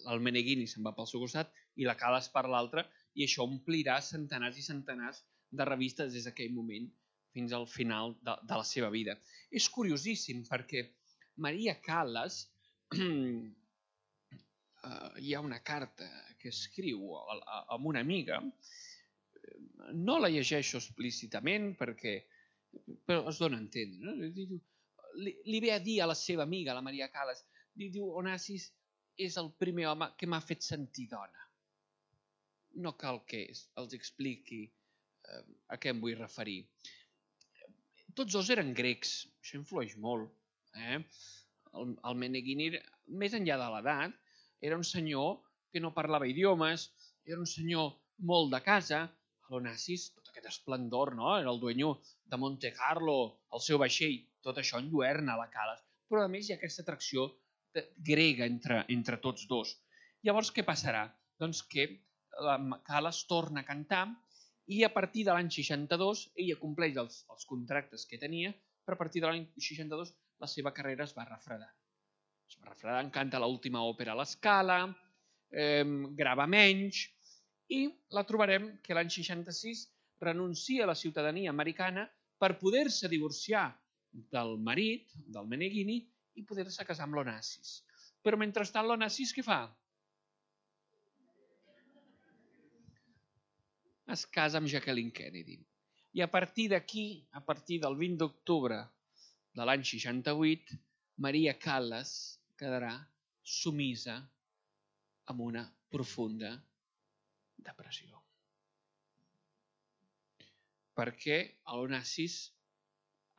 B: el Meneghini se'n va pel seu costat i la Callas per l'altre, i això omplirà centenars i centenars de revistes des d'aquell moment fins al final de, de la seva vida. És curiosíssim perquè Maria Callas, eh, hi ha una carta que escriu a, a, amb una amiga, no la llegeixo explícitament perquè però es dona a entendre. No? Li, li ve a dir a la seva amiga, la Maria Callas, li diu, Onassis és el primer home que m'ha fet sentir dona. No cal que els expliqui eh, a què em vull referir. Tots dos eren grecs, això influeix molt. Eh? El, el Meneghini, més enllà de l'edat, era un senyor que no parlava idiomes, era un senyor molt de casa. L'Onassis, tot aquest esplendor, no? Era el dueño de Monte Carlo, el seu vaixell, tot això enlluerna la Callas. Però a més hi ha aquesta atracció grega entre, entre tots dos. Llavors, què passarà? Doncs que la Callas torna a cantar i a partir de l'any seixanta-dos ella compleix els, els contractes que tenia, però a partir de l'any seixanta-dos la seva carrera es va refredant. Es va refredant, canta l'última òpera a l'Escala, eh, grava menys, i la trobarem que l'any seixanta-sis renuncia a la ciutadania americana per poder-se divorciar del marit, del Meneghini, i poder-se casar amb l'Onassis. Però mentrestant l'Onassis què fa? Es casa amb Jacqueline Kennedy. I a partir d'aquí, a partir del vint d'octubre de l'any seixanta-vuit, Maria Callas quedarà sumisa amb una profunda depressió. Perquè l'Onassis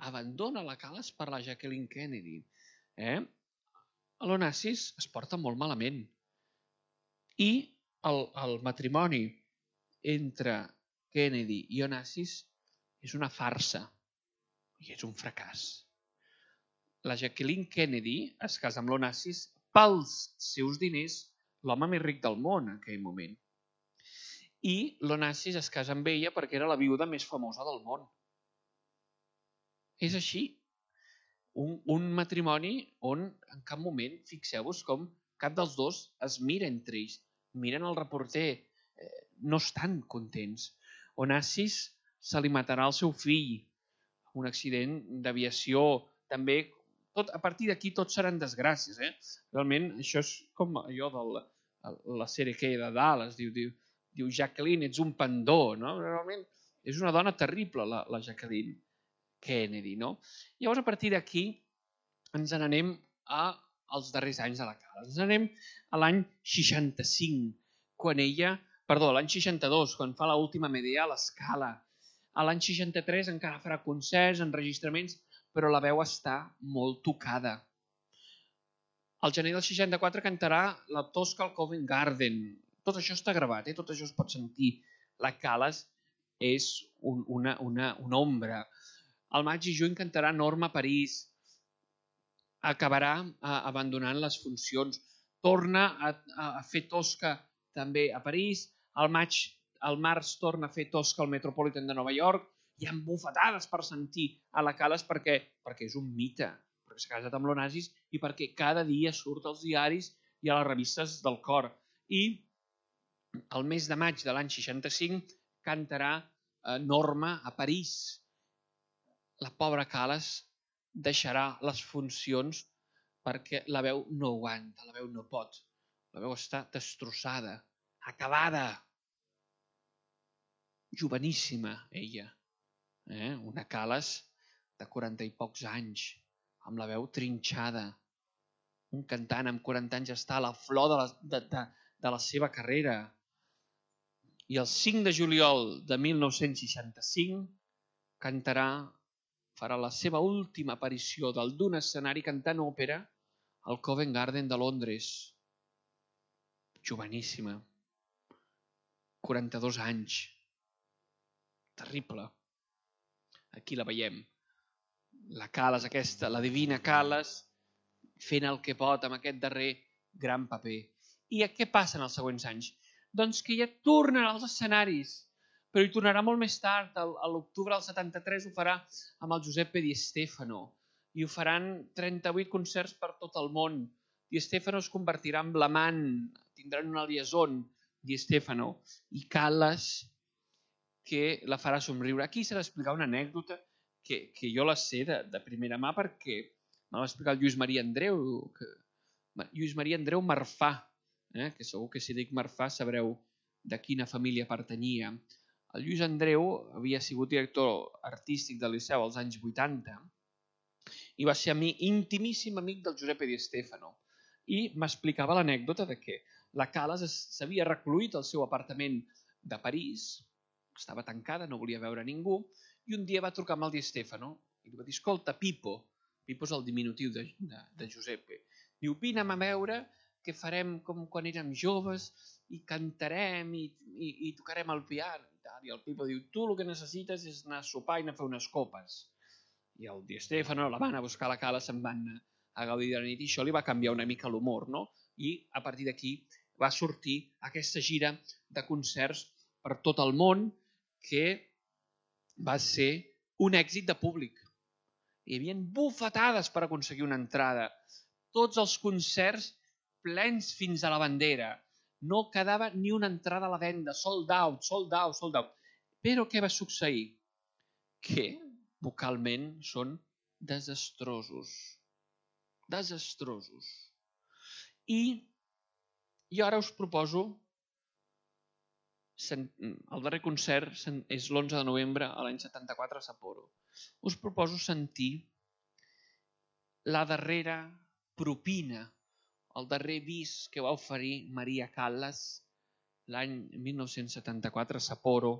B: abandona la Callas per la Jacqueline Kennedy. Eh? L'Onassis es porta molt malament. I el, el matrimoni entre Kennedy i Onassis és una farsa i és un fracàs. La Jacqueline Kennedy es casa amb l'Onassis pels seus diners, l'home més ric del món en aquell moment. I l'Onassis es casa amb ella perquè era la viuda més famosa del món. És així. Un, un matrimoni on en cap moment, fixeu-vos com cap dels dos es mira entre ells. Miren el reporter, eh, no estan contents. Onassis se li matarà el seu fill, un accident d'aviació, també, tot, a partir d'aquí tot seran desgràcies. Eh? Realment, això és com allò de la, la sèrie que hi ha de Dallas, diu, diu, diu Jacqueline, ets un pandó, no? Realment és una dona terrible, la, la Jacqueline Kennedy, no? Llavors, a partir d'aquí, ens n'anem als darrers anys de la Callas. Ens n'anem a l'any seixanta-cinc, quan ella, perdó, l'any seixanta-dos, quan fa l'última Medea a l'Escala. A l'any seixanta-tres encara farà concerts, enregistraments, però la veu està molt tocada. Al gener del seixanta-quatre cantarà la Tosca al Covent Garden. Tot això està gravat, eh? Tot això es pot sentir. La Callas és un, una, una, una ombra. Al maig i juny cantarà Norma a París. Acabarà eh, abandonant les funcions. Torna a, a fer Tosca també a París. Al maig, al març torna a fer Tosca al Metropolitan de Nova York. Hi ha bufetades per sentir a la Callas perquè, perquè és un mite, perquè s'ha casat amb l'Onassis i perquè cada dia surt als diaris i a les revistes del cor. I el mes de maig de l'any seixanta-cinc cantarà eh, Norma a París. La pobra Callas deixarà les funcions perquè la veu no aguanta, la veu no pot. La veu està destrossada, acabada. joveníssima ella, eh? Una Calas de quaranta i pocs anys, amb la veu trinxada. Un cantant amb quaranta anys està a la flor de la, de, de, de la seva carrera. I el cinc de juliol de mil nou-cents seixanta-cinc cantarà, farà la seva última aparició dalt d'un escenari cantant òpera al Covent Garden de Londres. Joveníssima. quaranta-dos anys. Terrible. Aquí la veiem. La Calas aquesta, la divina Calas, fent el que pot amb aquest darrer gran paper. I què passa en els següents anys? Doncs que ja tornen als escenaris, però hi tornarà molt més tard. A l'octubre del setanta-tres ho farà amb el Giuseppe Di Stefano i ho faran trenta-vuit concerts per tot el món. Di Stefano es convertirà en l'amant, tindran una liaison, Di Stefano, i Calas, que la farà somriure. Aquí s'ha d'explicar una anècdota que, que jo la sé de, de primera mà perquè me va explicar el Lluís Maria Andreu, que, Lluís Maria Andreu Marfà, eh, que segur que si dic Marfà sabreu de quina família pertanyia. El Lluís Andreu havia sigut director artístic del Liceu als anys vuitanta i va ser amic, intimíssim amic del Giuseppe Di Stefano. I m'explicava l'anècdota de que la Calas s'havia recluït al seu apartament de París, estava tancada, no volia veure ningú, i un dia va trucar amb el Di Stefano i li va dir, escolta, Pipo, Pipo és el diminutiu de, de, de Giuseppe, diu, vine'm a veure que farem com quan érem joves i cantarem i, i, i tocarem el piano. I, tal. I el Pipo diu, tu el que necessites és anar a sopar i anar a fer unes copes. I el Di Stefano la van a buscar a la Calas, se'n van a gaudir de la nit i això li va canviar una mica l'humor, no? I a partir d'aquí va sortir aquesta gira de concerts per tot el món que va ser un èxit de públic. Hi havia bufetades per aconseguir una entrada. Tots els concerts plens fins a la bandera. No quedava ni una entrada a la venda. Sold out, sold out, sold out. Però què va succeir? Que vocalment són desastrosos. Desastrosos. I jo ara us proposo, el darrer concert és l'onze de novembre a l'any setanta-quatre a Sapporo. Us proposo sentir la darrera propina, el darrer bis que va oferir Maria Callas l'any mil nou-cents setanta-quatre a Sapporo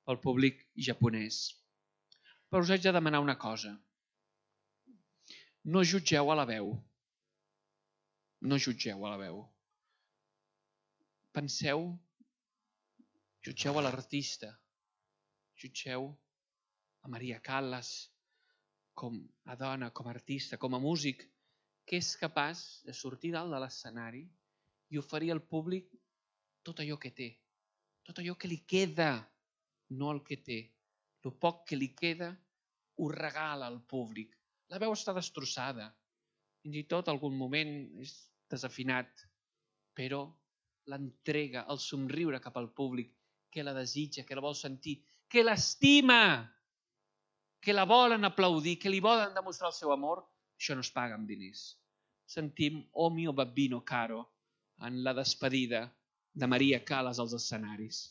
B: al públic japonès. Però us haig de demanar una cosa. No jutgeu a la veu. No jutgeu a la veu. Penseu, jutgeu a l'artista, jutgeu a Maria Callas com a dona, com a artista, com a músic, que és capaç de sortir dalt de l'escenari i oferir al públic tot allò que té, tot allò que li queda, no el que té. El poc que li queda ho regala al públic. La veu està destrossada, fins i tot algun moment és desafinat, però l'entrega, el somriure cap al públic, que la desitja, que la vol sentir, que l'estima, que la volen aplaudir, que li volen demostrar el seu amor, això no es paga amb diners. Sentim O mio babbino caro en la despedida de Maria Callas als escenaris.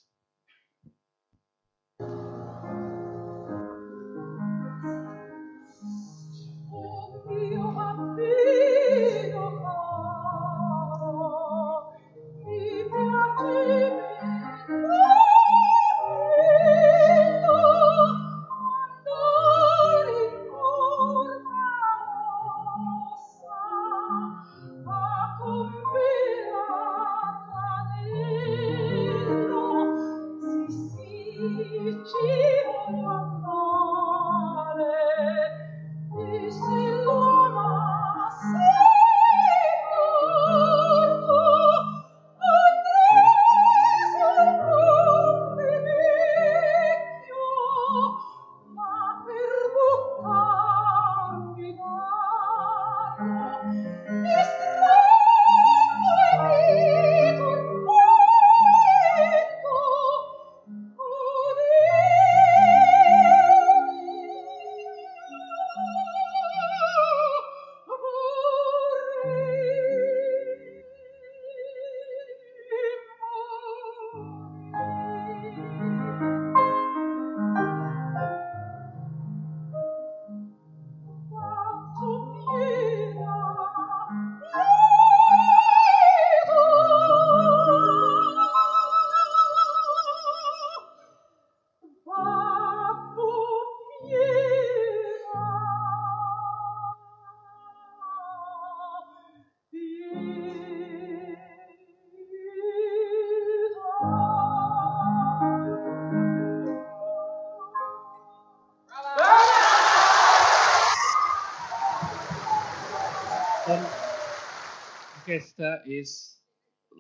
B: Aquesta és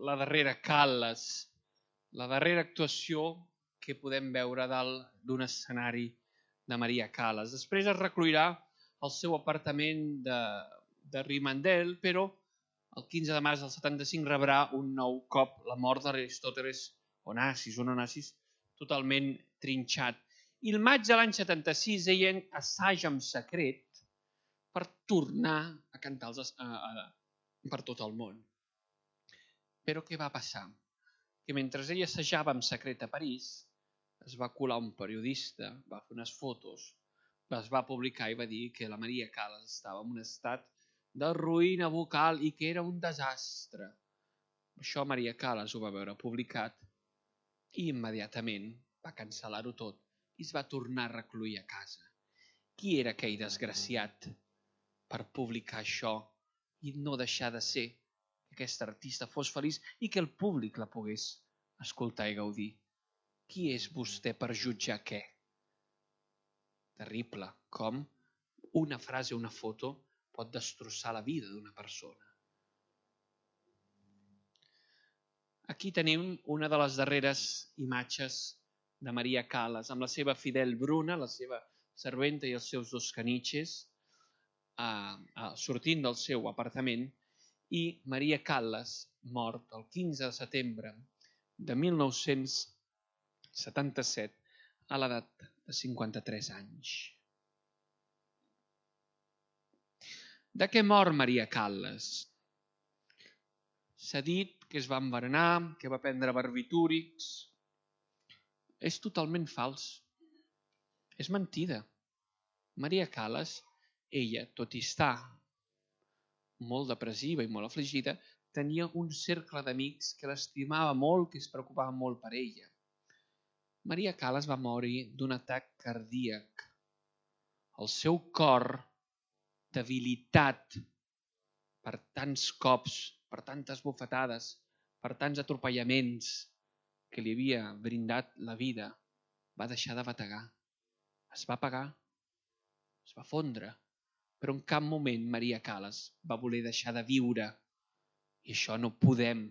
B: la darrera Cal·les, la darrera actuació que podem veure dalt d'un escenari de Maria Cal·les. Després es recluirà al seu apartament de, de Rimandel, però el quinze de març del setanta-cinc rebrà un nou cop la mort d'Aristòteles Onassis, un Onassis totalment trinxat. I el maig de l'any setanta-sis ella assaja en secret per tornar a cantar els, a, a, per tot el món. Però què va passar? Que mentre ella assajava en secret a París, es va colar un periodista, va fer unes fotos, les va publicar i va dir que la Maria Cal·les estava en un estat de ruïna vocal i que era un desastre. Això Maria Cal·les ho va veure publicat i immediatament va cancel·lar-ho tot i es va tornar a recluir a casa. Qui era aquell desgraciat per publicar això i no deixar de ser que aquesta artista fos feliç i que el públic la pogués escoltar i gaudir? Qui és vostè per jutjar què? Terrible, com una frase o una foto pot destrossar la vida d'una persona. Aquí tenim una de les darreres imatges de Maria Cal·les, amb la seva fidel Bruna, la seva serventa i els seus dos caniches, eh, eh, sortint del seu apartament, i Maria Cal·les, mort el quinze de setembre de mil nou-cents setanta-set, a l'edat de cinquanta-tres anys. De què mor Maria Cal·les? S'ha dit que es va envenenar, que va prendre barbitúrics. És totalment fals. És mentida. Maria Cal·les, ella, tot i estar molt depressiva i molt afligida, tenia un cercle d'amics que l'estimava molt, que es preocupava molt per ella. Maria Cal·les va morir d'un atac cardíac. El seu cor, debilitat per tants cops, per tantes bufetades, per tants atropellaments que li havia brindat la vida, va deixar de bategar. Es va apagar, es va fondre, però en cap moment Maria Cal·les va voler deixar de viure. I això no podem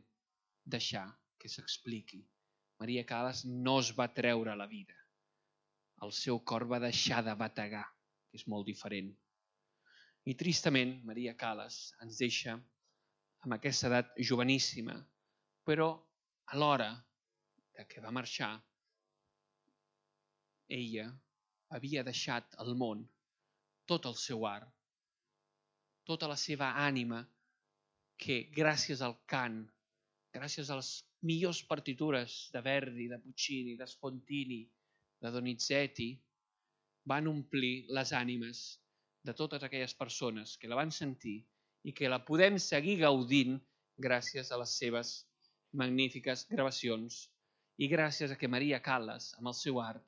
B: deixar que s'expliqui. Maria Cal·les no es va treure la vida. El seu cor va deixar de bategar, que és molt diferent. I tristament, Maria Cal·les ens deixa amb aquesta edat joveníssima, però alhora que va marxar, ella havia deixat al món tot el seu art, tota la seva ànima, que gràcies al cant, gràcies a les millors partitures de Verdi, de Puccini, de Spontini, de Donizetti, van omplir les ànimes de totes aquelles persones que la van sentir i que la podem seguir gaudint gràcies a les seves magnífiques gravacions i gràcies a que Maria Cal·les, amb el seu art,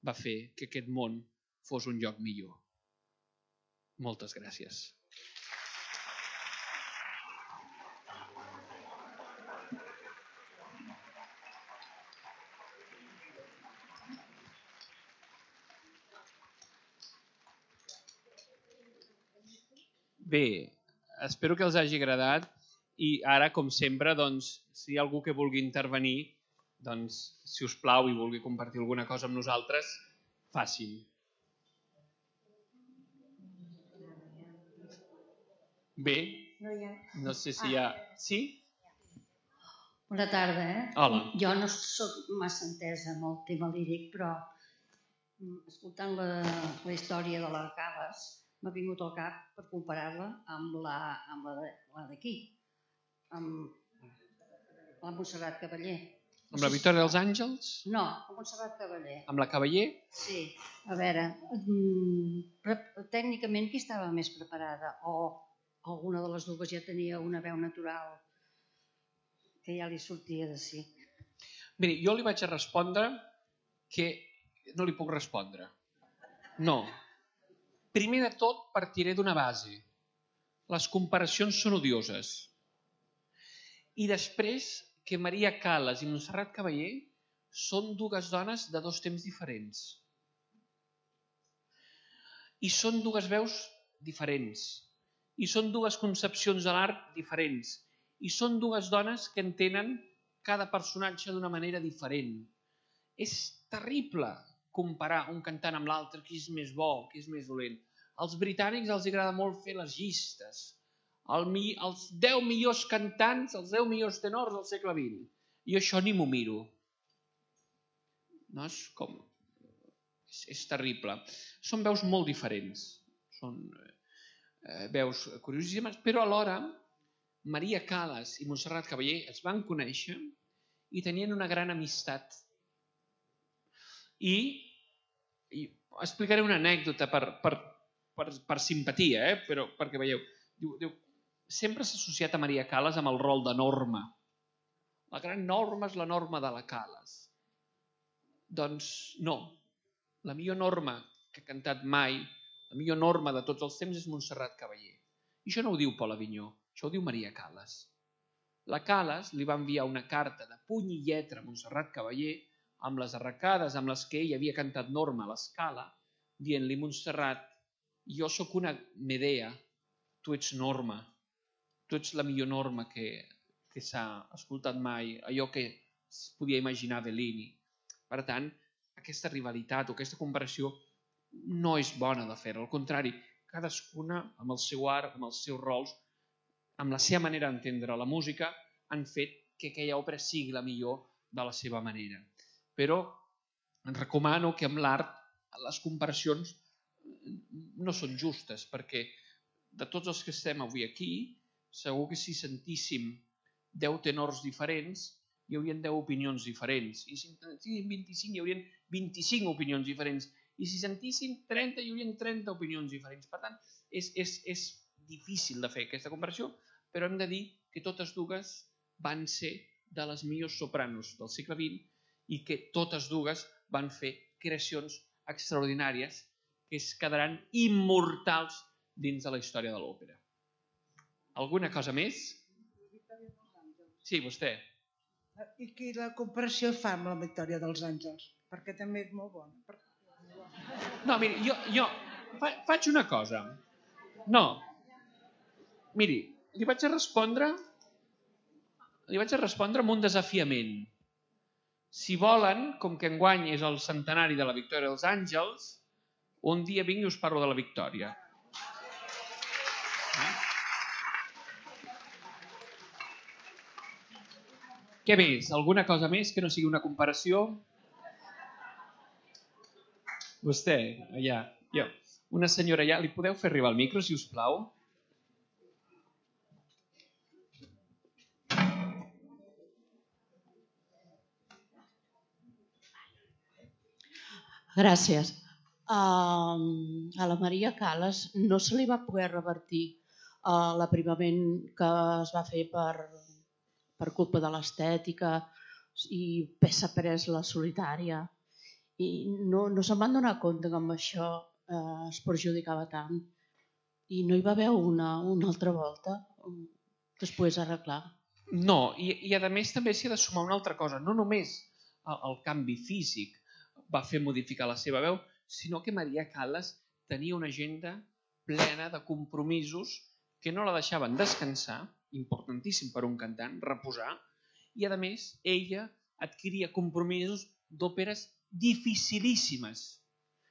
B: va fer que aquest món fos un lloc millor. Moltes gràcies. Bé, espero que els hagi agradat i ara, com sempre, doncs, si hi ha algú que vulgui intervenir, doncs, si us plau i vulgui compartir alguna cosa amb nosaltres, facin. Bé, no sé si hi ha... Sí?
D: Bona tarda, eh?
B: Hola.
D: Jo no soc massa entesa amb el tema líric, però escoltant la, la història de la Cal·les, m'ha vingut al cap per comparar-la amb la, amb la d'aquí, amb la Montserrat Cavaller.
B: Amb la Victòria dels Àngels?
D: No, amb Montserrat Cavaller.
B: Amb la Cavaller?
D: Sí. A veure, tècnicament qui estava més preparada? O alguna de les dues ja tenia una veu natural que ja li sortia de si?
B: Miri, jo li vaig a respondre que no li puc respondre. No. Primer de tot, partiré d'una base. Les comparacions són odioses. I després, que Maria Cal·les i Montserrat Cavaller són dues dones de dos temps diferents. I són dues veus diferents. I són dues concepcions de l'art diferents. i són dues dones que entenen cada personatge d'una manera diferent. És terrible comparar un cantant amb l'altre, qui és més bo, qui és més dolent. Als britànics els agrada molt fer les llistes. Els deu millors cantants, els deu millors tenors del segle vint. I això ni m'ho miro. No és com... És, és terrible. Són veus molt diferents. Són eh, veus curiosíssimes, però alhora Maria Callas i Montserrat Caballé es van conèixer i tenien una gran amistat. I, i explicaré una anècdota per, per, per, per simpatia, eh? Però perquè veieu. Diu, diu, sempre s'ha associat a Maria Callas amb el rol de Norma. La gran Norma és la Norma de la Callas. Doncs no. La millor Norma que ha cantat mai, la millor Norma de tots els temps és Montserrat Caballé. I això no ho diu Pol Avinyó, això ho diu Maria Callas. La Callas li va enviar una carta de puny i lletra a Montserrat Caballé amb les arracades amb les que ell havia cantat Norma a l'Escala, dient-li: Montserrat, jo sóc una Medea, tu ets Norma, tu ets la millor Norma que, que s'ha escoltat mai, allò que es podia imaginar Bellini. Per tant, aquesta rivalitat o aquesta comparació no és bona de fer, al contrari, cadascuna amb el seu art, amb els seus rols, amb la seva manera d'entendre la música, han fet que aquella òpera sigui la millor de la seva manera. Però recomano que amb l'art les comparacions no són justes, perquè de tots els que estem avui aquí, segur que si sentíssim deu tenors diferents, hi haurien deu opinions diferents. I si sentíssim vint-i-cinc, hi haurien vint-i-cinc opinions diferents. I si sentíssim trenta, hi haurien trenta opinions diferents. Per tant, és, és, és difícil de fer aquesta comparació, però hem de dir que totes dues van ser de les millors sopranos del segle vint i que totes dues van fer creacions extraordinàries que es quedaran immortals dins de la història de l'òpera. Alguna cosa més? Sí, vostè.
E: I qui la comparació fa amb la Victòria dels Àngels? Perquè també és molt bona.
B: No, miri, jo, jo fa, faig una cosa. No. Miri, li vaig a respondre li vaig a respondre amb un desafiament. Si volen, com que enguany és el centenari de la Victòria dels Àngels, un dia vinc i us parlo de la Victòria. Eh? Què més? Alguna cosa més que no sigui una comparació? Vostè, allà. Jo. Una senyora allà. Li podeu fer arribar el micro, si us plau?
F: Gràcies. Uh, a la Maria Callas no se li va poder revertir uh, l'aprimament que es va fer per, per culpa de l'estètica i s'ha pres la solitària. I no, no se'n van donar compte que amb això uh, es perjudicava tant. I no hi va haver una, una altra volta després arreglar.
B: No, i, i a més també s'hi ha de sumar una altra cosa. No només el, el canvi físic va fer modificar la seva veu, sinó que Maria Callas tenia una agenda plena de compromisos que no la deixaven descansar, importantíssim per un cantant, reposar, i a més ella adquiria compromisos d'òperes dificilíssimes.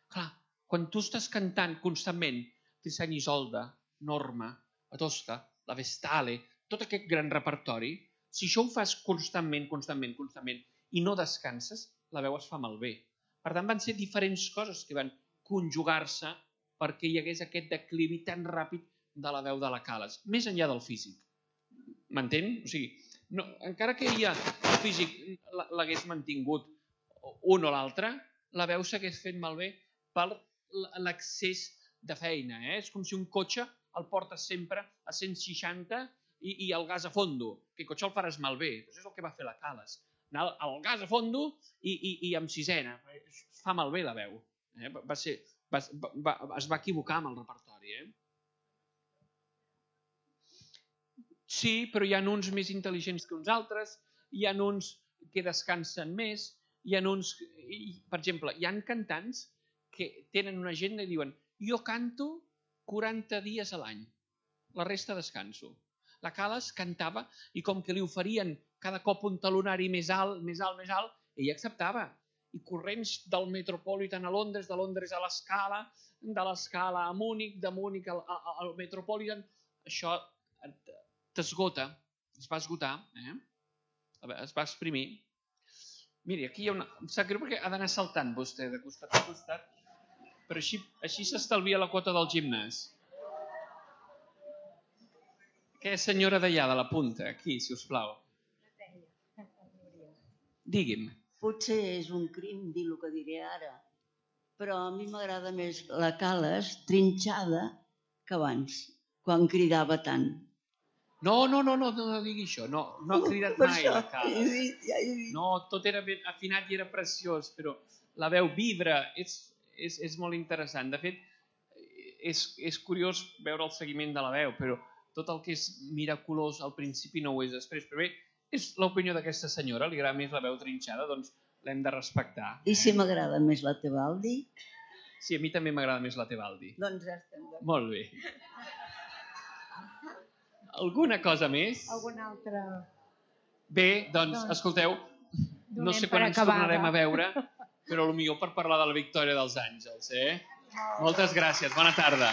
B: Clar, quan tu estàs cantant constantment Tristan i Isolde, Norma, la Tosca, la Vestale, tot aquest gran repertori, si això ho fas constantment, constantment, constantment i no descanses, la veu es fa malbé. Per tant, van ser diferents coses que van conjugar-se perquè hi hagués aquest declivi tan ràpid de la veu de la Callas, més enllà del físic. M'entén? O sigui, no, encara que ella, el físic l'hagués mantingut un o l'altre, la veu s'hagués fet malbé per l'excés de feina. Eh? És com si un cotxe el portes sempre a cent seixanta i, i el gas a fondo, que el cotxe el faràs malbé. Això és el que va fer la Callas. Anar al gas a fondo i, i, i amb sisena. Es fa malbé la veu. Eh? Va ser, va, va, es va equivocar amb el repertori. Eh? Sí, però hi ha uns més intel·ligents que uns altres, hi ha uns que descansen més, hi ha uns... Per exemple, hi ha cantants que tenen una agenda i diuen jo canto quaranta dies a l'any, la resta descanso. la Cales cantava i com que li oferien cada cop un talonari més alt, més alt, més alt, ella acceptava. I corrents del Metropolitan a Londres, de Londres a l'Escala, de l'Escala a Múnich, de Múnich al, al Metropolitan, això t'esgota, es va esgotar, eh? Es va exprimir. Miri, aquí hi ha una... Em sap greu perquè ha d'anar saltant vostè de costat a costat, però així, així s'estalvia la quota del gimnàs. Aquella senyora d'allà, de la punta, aquí, si us plau. Digui'm.
G: Potser és un crim dir el que diré ara, però a mi m'agrada més la Cales trinxada que abans, quan cridava tant.
B: No, no, no, no, no digui això, no, no ha cridat mai la Cales.
G: Ja he dit.
B: No, tot era ben afinat i era preciós, però la veu vibra, és, és, és molt interessant. De fet, és, és curiós veure el seguiment de la veu, però tot el que és miraculós al principi no ho és després. Però bé, és l'opinió d'aquesta senyora, li agrada més la veu trinxada, doncs l'hem de respectar.
G: I si m'agrada més la Tebaldi?
B: Sí, a mi també m'agrada més la Tebaldi.
G: Doncs ja estem d'acord.
B: Molt bé. Alguna cosa més?
H: Alguna altra...
B: Bé, doncs,
H: Doncs,
B: escolteu, no sé quan ens tornarem a veure, però potser per parlar de la victòria dels Àngels, eh? Moltes gràcies, bona tarda.